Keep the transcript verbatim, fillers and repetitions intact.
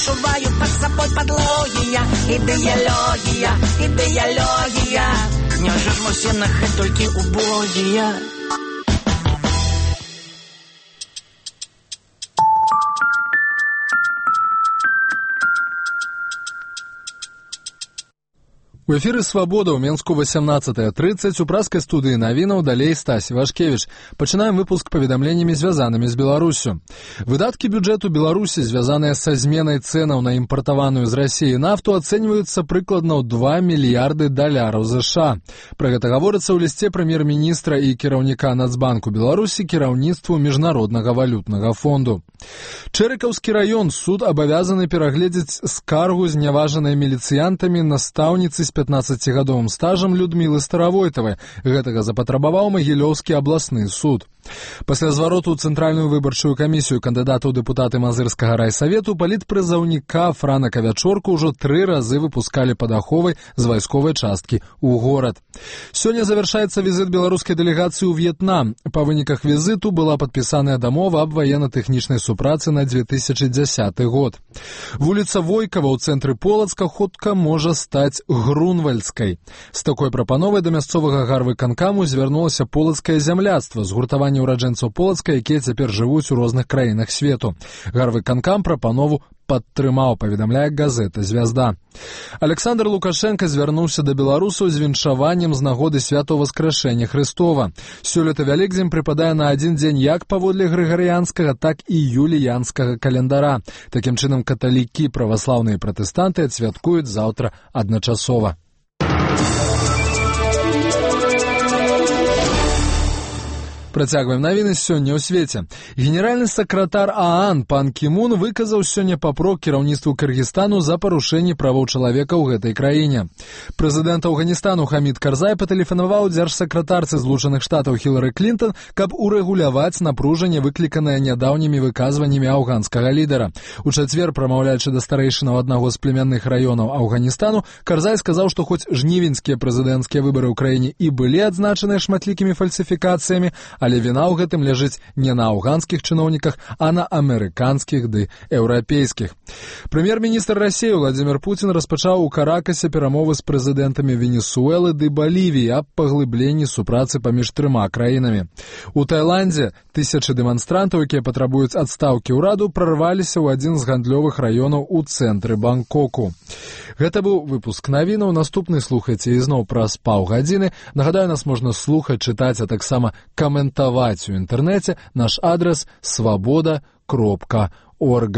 адчуваю пад сабой падлогія, ідэалогія, ідэалогія. Няўжо ж мы ўсе на гэта толькі убогія? У эфіры «Свабода» ў Менску восемнадцатая тридцать, у праскай студыі навінаў далей Стась Івашкевіч. Пачынаем выпуск паведамленнямі, звязанымі з Беларусю. Выдаткі бюджэту Беларусі, звязаныя са зменай цэнаў на імпартаваную з Расіі нафту, ацэньваюцца прыкладна ў два мільярды даляраў ЗША. Пра гэта гаворыцца ў лісце прэм'ер-міністра і кіраўніка Нацбанку Беларусі кіраўніцтву Міжнароднага валютнага фонду. Чэрыкаўскі раён, суд абавязаны перагледзець скаргу зняважанай міліцыянтамі настаўніцы з пятнаццацігадовым стажам Людмілы Старавойтавай. Гэтага запатрабаваў Магілёўскі абласны суд. Пасля звароту ў Цэнтральную выбарчую камісію кандыдата ў дэпутаты Мазырскага райсавету палітпрызаўніка Франа Кавячорку ўжо тры разы выпускалі пад аховай з вайсковай часткі ў горад. Сёння завяршаецца візіт беларускай дэлегацыі ў В'етнам. Па выніках візіту была падпісаная дамова аб ваенна-тэхнічнай супрацы на две тысячы дзясяты год. Вуліца Войкава ў цэнтры Полацка хутка можа стаць Грунвальдскай. З такой прапановай да мясцовага гарвыканкаму звярнулася полацкае зямляцтва, згуртаванне ураджэнцаў Полацка, якія цяпер жывуць у розных краінах свету. Гарвыканкам прапанову падтрымаў, паведамляе газета «Звязда». Александр Лукашенко звярнуўся да беларусаў з віншаваннем з нагоды святого Воскрэшэння Хрыстова. Сёлета Вялікдзень прыпадае на адзін дзень як паводле грыгарыянскага, так і юліянскага календара. Такім чынам, каталікі, праваслаўныя і пратэстанты адсвяткуюць заўтра адначасова. Працягваем навіны сёння ў свеце. Генеральны сакратар ААН пан Кімун выказаў сёння папрок кіраўніцтву Кыргызстану за парушэнне правоў чалавека ў гэтай краіне. Прэзідэнт Афганістану Хамід Карзай патэлефанаваў дзяржсакратарцы Злучаных Штатаў Хілары Клінтон, каб урэгуляваць напружанне, выкліканае нядаўнімі выказваннямі афганскага лідара. У чацвер, прамаўляючы да старэйшынаў аднаго з племянных раёнаў Афганістану, Карзай сказаў, што хоць жнівеньскія прэзідэнцкія выбары ў краіне і былі адзначаныя шматлікімі фальсіфікацыямі, але віна ў гэтым ляжыць не на афганскіх чыноўніках, а на амерыканскіх ды еўрапейскіх. Прэм'ер-міністр Расіі Владзімір Пуцін распачаў у Каракасе перамовы з прэзідэнтамі Венесуэлы ды Балівіі аб паглыбленні супрацы паміж трыма краінамі. У Таіландзе тысячы дэманстрантаў, якія патрабуюць адстаўкі ўраду, прарваліся ў адзін з гандлёвых раёнаў у цэнтры Бангкоку. Гэта быў выпуск навінаў. Наступны слухайце ізноў праз паўгадзіны. Нагадаю, нас можна слухаць, чытаць, а таксама каментаваць у інтэрнэце. Наш адрес свабода кропка орг.